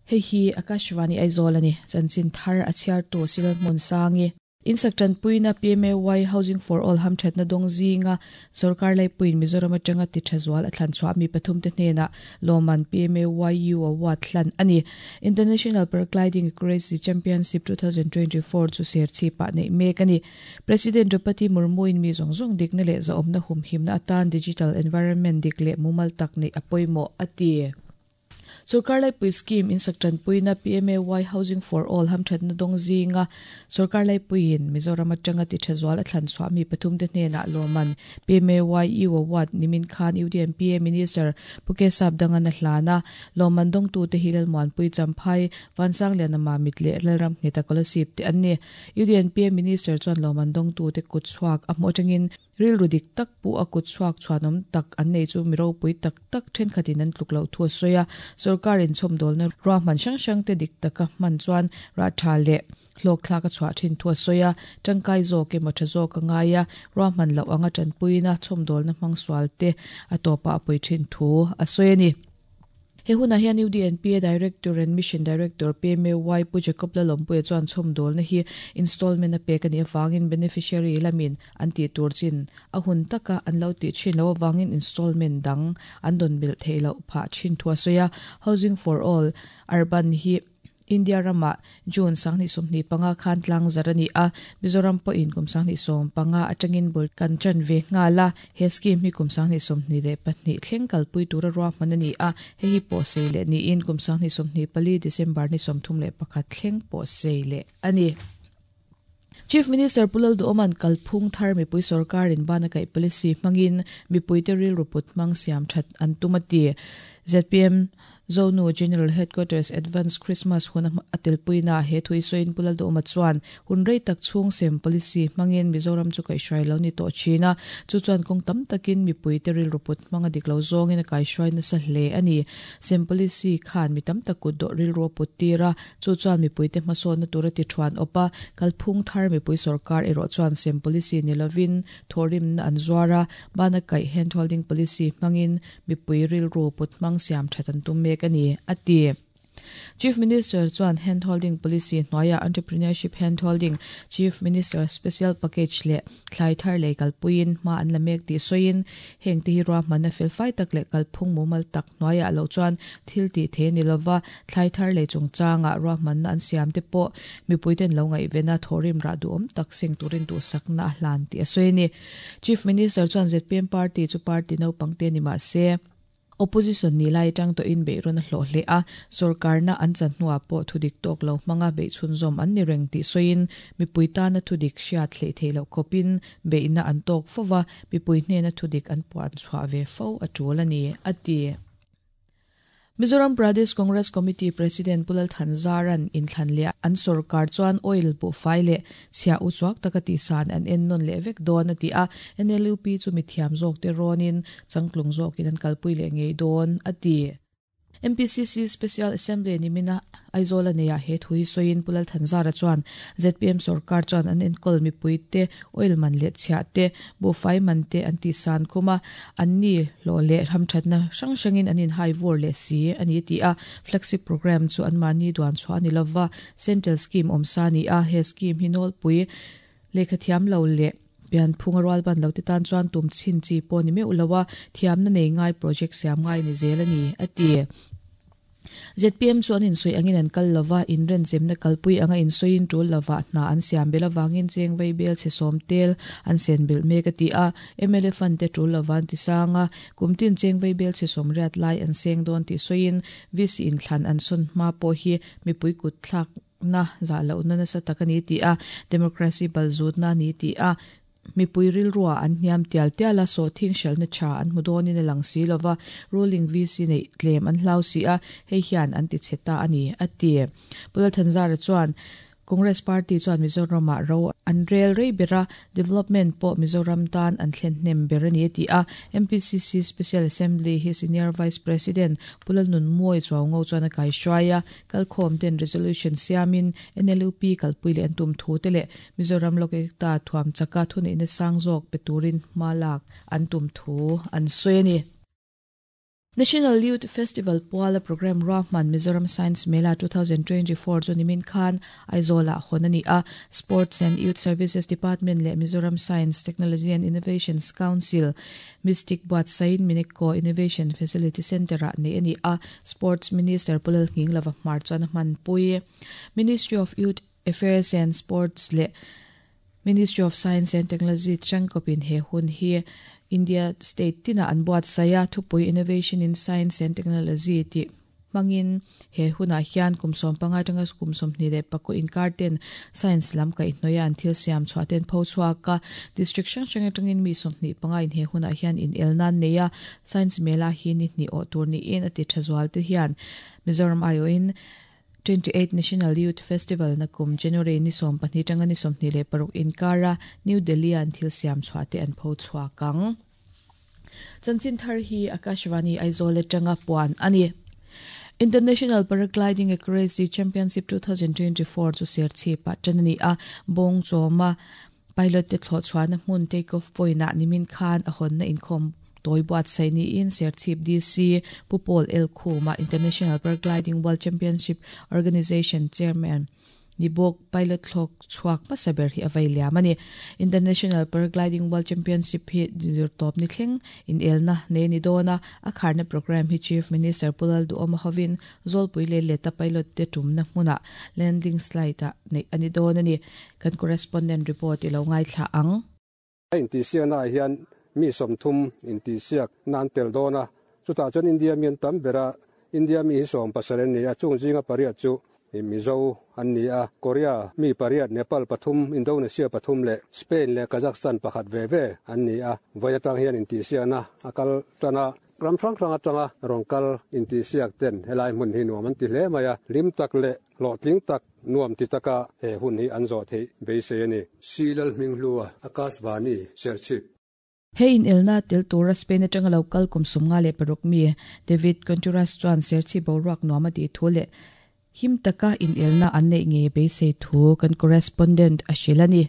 Hei hi Akashvani Aizawl a ni. Chanchin thar a chhiartu Cyril Hmunsangi. Insak tanpuina PMAY Housing for All hamthatna dawng zinga sorkar laipuiin Mizoram atanga ti tha zual a thlan chhuah mi pathumte hnenah lawmman PMAYU Award hlan a ni. International Paragliding Accuracy Championship 2024 chu serchhipah neih mek a ni. President Draupadi Murmu-in mi zawng zawng dikna leh zahawmna humhimna atan digital environment dik leh mumal tak neih a pawimawh, a ti. Sorkar laipui scheme insak tanpuina PMAY Housing for All hamthatna dawng zinga sorkar laipuiin Mizoram atanga ti tha zual a thlan chhuah mi pathumte hnenah lawmman PMAY-U Award nimin khan UDMPA Minister Pu Kesap Dangan a hlan a. Lawmman dawngtute hi Lalmuanpui Champhai, Vansangliana Mamit leh Lalram Ngheta Kolasib te an ni. UDNPA Minister chuan lawmman dawngtute kut chhuak a hmuh atangin Rilru dik tak pu a kut chhuak chhuanawm tak an nei chu mi ropui tak tak thenkhatin an tluk loh thu a sawi a. Sorkar inchhawmdawlna ruahman hrang hrangte dik taka hman chuan rah tha leh hlawkthlak a chhuah thin thu a sawi a. Tangkai zawk emaw tha zawk a ngai a, ruahman loh anga tanpuina chhawmdawlna hmang sualte a tawpah a pui thin thu a sawi a ni. He hunah hian UDNPA Director and Mission Director PMAY Pu Jacob Lalawmpuia chuan chhawmdawlna hi installment a pek a nih avangin beneficiary lamin an tih tur chin a hun taka an lo tih thin loh avangin installment dang an dawn belh theih loh phah thin thu a sawi a. Housing for All Urban hi India ramah June 2025 khan tlangzar a ni a, Mizoram pawhin kum 2015 atangin bul kan tan ve nghal a, he scheme hi kum 2022 thleng kalpui tura ruahman a ni a, hei hi pawhsei leh niin kum 2024 December ni 31 thleng pawhsei leh a ni. Chief Minister Pu Lalduhawma'n kalphung thar mipui sorkarin bana kaih policy hmangin mipuite rilru put hmang siam that an tum a ti. Zpm Zonu General Headquarters Advance Christmas hun a telpuina he thu i sawiin Pu Lalduhawma chuan hun rei tak chhung sem policy hmangin Mizoram chu kaihhruai lo ni tawh thin a, chu chuan kawng tam takin mipuite rilru put hmang a dik lo zawngin a kaihhruai nasa hle a ni. Sem policy khan mi tam tak kutdawh rilru a put tir a, Chu chuan mipuite hmasawnna tura ti thuan awp a, kalphung thar mipui sorkar erawh chuan sem policy ni lovin thawhrimna an zuar a, bana kaih hand holding policy hmangin mipui rilru put hmang siam that an tum mek a ni, a ti. Chief Minister chuan hand holding policy hnuaiah entrepreneurship hand holding, Chief Minister Special Package leh thlai thar lei kalpuiin hma an la mek tih sawiin, hengte hi ruahmanna felfai tak leh kalphung mumal tak hnuaiah loh chuan thil tih thei a ni lova, Thlai thar lei chungchangah ruahmanna an siam te pawh mipuiten lo ngaihven a, thawhrim rah duhawm tak seng turin duhsakna a hlan tih a sawi a ni. Chief Minister chuan zpm party chu party naupang te ni mah se, opposition ni lai atang tawhin beihrawn a hlawh hle a, sorkarna an chan hnuah pawh thudik tawk lo hmanga beih chhunzawm an ni reng tih sawiin mipui tana thudik hriat hleih theih loh khawpin beihna an tawk fo va, mipui hnena thudik an puan chhuah ve fo a tul a ni, a ti. Mizoram Pradesh Congress Committee President Pu Lal Thanzaran inthlan leh an sorkar chuan oil buhfai leh chhiah uchuak taka tihsan an en nawn leh vek dawn a ti a, NLUP chu mithiam zawkte rawnin changtlung zawkin an kalpui leh ngei dawn a ti. MPCC Special Assembly nimina Aizawl a neiah he thu hi sawiin Pu Lal Thanzara chuan zpm sorkar chuan an enkawl mipuite oil man leh chhiah te, buhfai man te an tihsan khum a, an ni hlawh leh hamthatna hrang hrangin an inhai vur leh si a ni ti a, flagship programme chu anmahni duan chhuah a ni lova, central scheme awmsa a ni a, he scheme hi nawlpui lehkha thiam lo leh pianphunga rualban lo te tan chuan tum chhin chi pawh ni meuh lo a, thiamna nei ngai project siam ngai ni zel a ni, a ti. Zpm chu an insawi angin an kal lova, inrenchemna kalpui anga insawiin tul lovah hna an siam belh avangin cheng vei bel chhe sawm tel an sen belh mek a ti a. Mla fund te tul lova an ti sang a, kum tin cheng vei bel chhe sawm riat lai an seng dawn tih sawiin VC inthlan an sawn hma pawh hi mipui kut thlakna zah lohna nasa tak a ni tih a, democracy balzutna a ni tih a. Mipui rilrua an hniam tial tial a, sawhthing hralhna tha an hmu dawnin a lang si lo va, ruling VC neih tlem an hlau si a, hei hian an ti chhe ta a ni, a ti. Pu Lalthanzara chuan, Congress party chuan Mizoramah ro an rel rei ber a, development pawh Mizoram tan an thlen hnem ber a ni a ti a. MPCC Special Assembly hi Senior Vice President Pu Lalnunmawi Chuaungo chuan a kaihruai a, kalkhawm ten resolution siamin NLUP kalpui leh an tum thu te leh Mizoram Lokekta thuam chaka thuneihna sang zawk pe turin hma lak an tum thu an sawi a ni. National Youth Festival puala programme ruahman Mizoram Science Mela 2024 chu nimin khan Aizawl-ah hawn a ni a. Sports and Youth Services Department leh Mizoram Science, Technology and Innovations Council, Mistic buatsaiin Minecco Innovation Facility Centre-ah neih a ni a. Sports Minister Pu Lalnghinglova hmar chuan a hmanpui. Ministry of Youth Affairs and Sports leh Ministry of Science and Technology changkawpin he hun hi India state tinah an buatsaih a, thupui Innovation in Science and Technology tih hmangin he hunah hian kum 15 atanga kum 24 inkar ten science lam kaihhnawih a an thil siam chhuah ten pho chhuak a, district hrang hrang atangin mi 25 in he hunah hian inelna an nei a, science mela hi ni hnih awh tur niin a ti tha zual te hian Mizoram aiawhin 28 National Youth Festival na kum January ni 12 atanga ni 26 inkara New Delhi a an thil siam chhuah te an pho chhuak ang. Chanchin thar hi Akashvani Aizawl atanga puan a ni. International Paragliding Accuracy Championship 2024 chu Serchhip-ah tan a ni a, Bawng chawma Pilot te thlawh chhuahna hmun take off point ah nimin khan a hawnna inkhawm tawi buatsaih niin Serchhip DC Pu Paul L Khuma International Paragliding World Championship Organisation Chairman ni bawk pilot thlawk chhuak hmasa ber hi a vei liam a ni. International Paragliding World Championship hi zirtawp ni thleng inelna nei a ni dawn a, a kharna programme hi Chief Minister Pu Lalduhawma hovin Zawlpui leh Leta pilot te tumna hmunah landing slide ah neih a ni dawn a ni. Kan correspondent report i lo ngaithla ang. A intihsiaknaah hian mi 30 intihsiak na an tel dawn a, chutah chuan India mi an tam ber a, India mi hi 17 an ni a, chung zinga pariat chu Mizo an ni a, Korea mi pariat, Nepal pathum, Indonesia pathum leh Spain leh Kazakhstan pakhat ve ve an ni a, vawi atang hian intihsiakna a kal tan a. Ram hrang hrang atanga rawn kal intihsiak ten helai hmun hi nuam an ti hle mai a, hlim tak leh hlawhtling tak nuam ti taka he hun hi an zawh theih beisei a ni. Si Lalhminghlua, Akashvani, Serchhip. He inelna tel tura Spain atanga lo kal kum 56 mi David Contreras chuan Serchhip boruak nuam a tih thu leh him taka inelna an neih ngei beisei thu kan correspondent a hrilh a ni.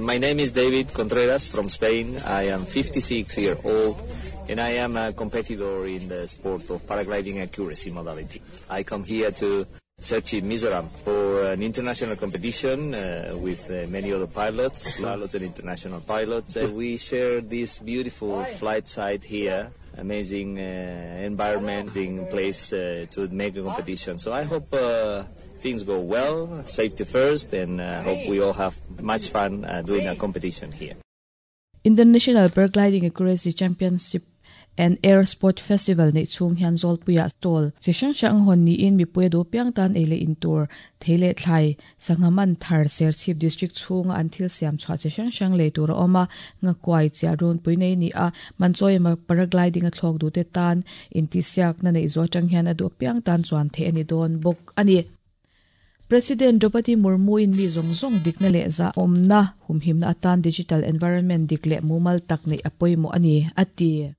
My name is David Contreras from Spain. I am 56 year old and I am a competitor in the sport of paragliding accuracy modality. I come here to Serchhip Mizoram for an international competition with many other pilots, pilots and international pilots. We share this beautiful flight site here, amazing environment, in place to make a competition. So I hope things go well, safety first, and hope we all have much fun doing a competition here. International Paragliding Accuracy Championship and Air Sport Festival neih chhung hian Zawlpuiah stall chi hrang hrang hawn niin mipui a duh piang tan ei leh in tur thei leh thlai sangha man thar Serchhip District chhunga an thil siam chhuah chi hrang hrang lei tur a awm a, ngakuai chiah runpui nei ni a, Manchawi emaw paragliding a thlawk duhte tan intihsiakna neih zawh atang hian a duh piang tan chuan theih a ni dawn bawk a ni. President Draupadi Murmu-in mi zawng zawng dikna leh zahawmna humhimna atan digital environment dik leh mumal tak neih a pawimawh a ni, a ti.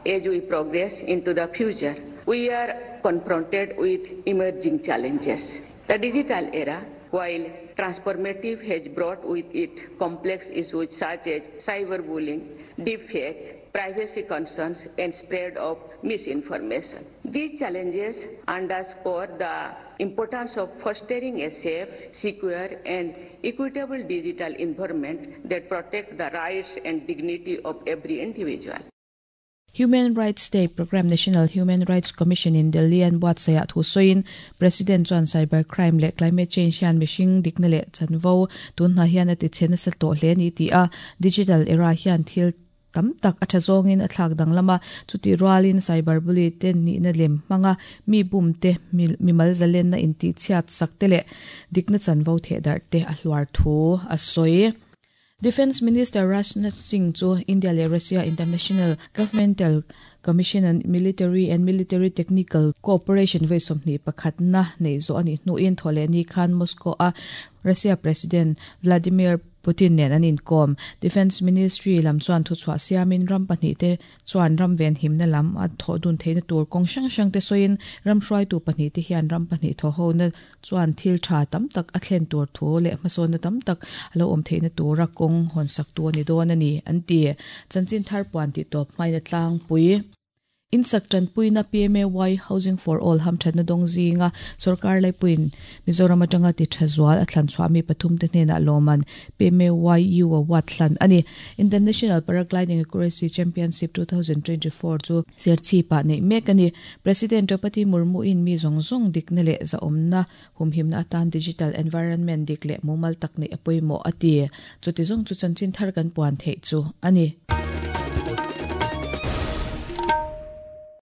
As we progress into the future, we are confronted with emerging challenges. The digital era, while transformative, has brought with it complex issues such as cyberbullying, deepfake, privacy concerns, and spread of misinformation. These challenges underscore the importance of fostering a safe, secure, and equitable digital environment that protects the rights and dignity of every individual. Human Rights Day Programme National Human Rights Commission in Delhi an buatsaihah thu sawiin President chuan cyber crime leh climate change hian mihring dikna leh chanvo tun hna hian a ti chhe nasa tawh hle a ni ti a, digital era hian thil tam tak a tha zawngin a thlak danglam a, chutih rualin cyber bully te nihna lem hmanga mi bum te, mimal zalenna intihchhiat sak te leh dikna chanvo thehdarh te a hluar thu a sawi. Defence Minister Rajnath Singh chu India leh Russia International Governmental Commission on Military and Military Technical Cooperation vawi 21 na neih zawh a nih hnuin thawhlehni khan Moscow a Russia President Vladimir Putin nen an inkawm. Defence Ministry lam chuan thuchhuah siamin ram pahnihte chuan ram venhimna lam a thawh dun theihna tur kawng hrang hrangte sawiin ram hruaitu pahnihte hian ram pahnih thawhhona chuan thil tha tam tak a thlen tur thu leh hmasawnna tam tak a lo awm theihna tura kawng hawnsak tu a ni dawn a ni, an ti. Chanchin thar puan tih tawp hmain a tlangpui. Insak tanpuina PMAY Housing for All hamthatna dawng zinga sorkar laipuiin Mizoram atanga ti tha zual a thlan chhuah mi pathum te hnenah lawman PMAY U Award hlan a ni. International Paragliding Accuracy Championship 2024 chu Serchhip-ah neih mek a ni. President Draupadi Murmu-in mi zawng zawng dikna leh zahawmna humhimna atan digital environment dik leh mumal tak neih a pawimawh a ti. Chuti zawng chu chanchin thar kan puan theih chu a ni.